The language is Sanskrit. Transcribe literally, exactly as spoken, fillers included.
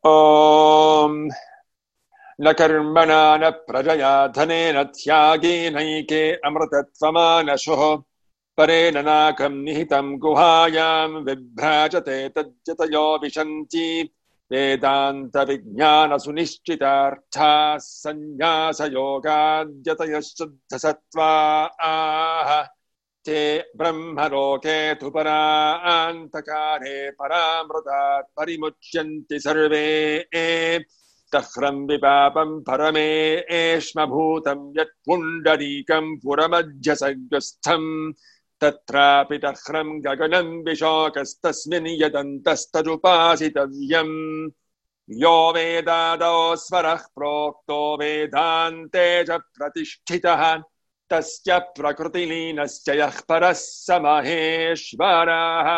ॐ न कर्मणा न प्रजया धनेन त्यागेनैके अमृतत्वमानशुः परेण नाकं निहितं गुहायां विभ्राजते तज्जतयो विशन्ति वेदान्तविज्ञानसुनिश्चितार्थाः सन्न्यासयोगाद्यतयश्चुद्धसत्त्वाः ते ब्रह्मलोके तु परान्तकारे परामृतात् परिमुच्यन्ति सर्वे तह्रं विपापं परमेष्मभूतं यत्पुण्डरीकं पुरमध्यसग्रस्थम् तत्रापि तह्रं गगनं विशोकस्तस्मिन् यदन्तस्तदुपासितव्यम् यो वेदादौ स्वरः प्रोक्तो वेदान्ते च प्रतिष्ठितः तस्य प्रकृतिलीनस्य यः परः स महेश्वरः।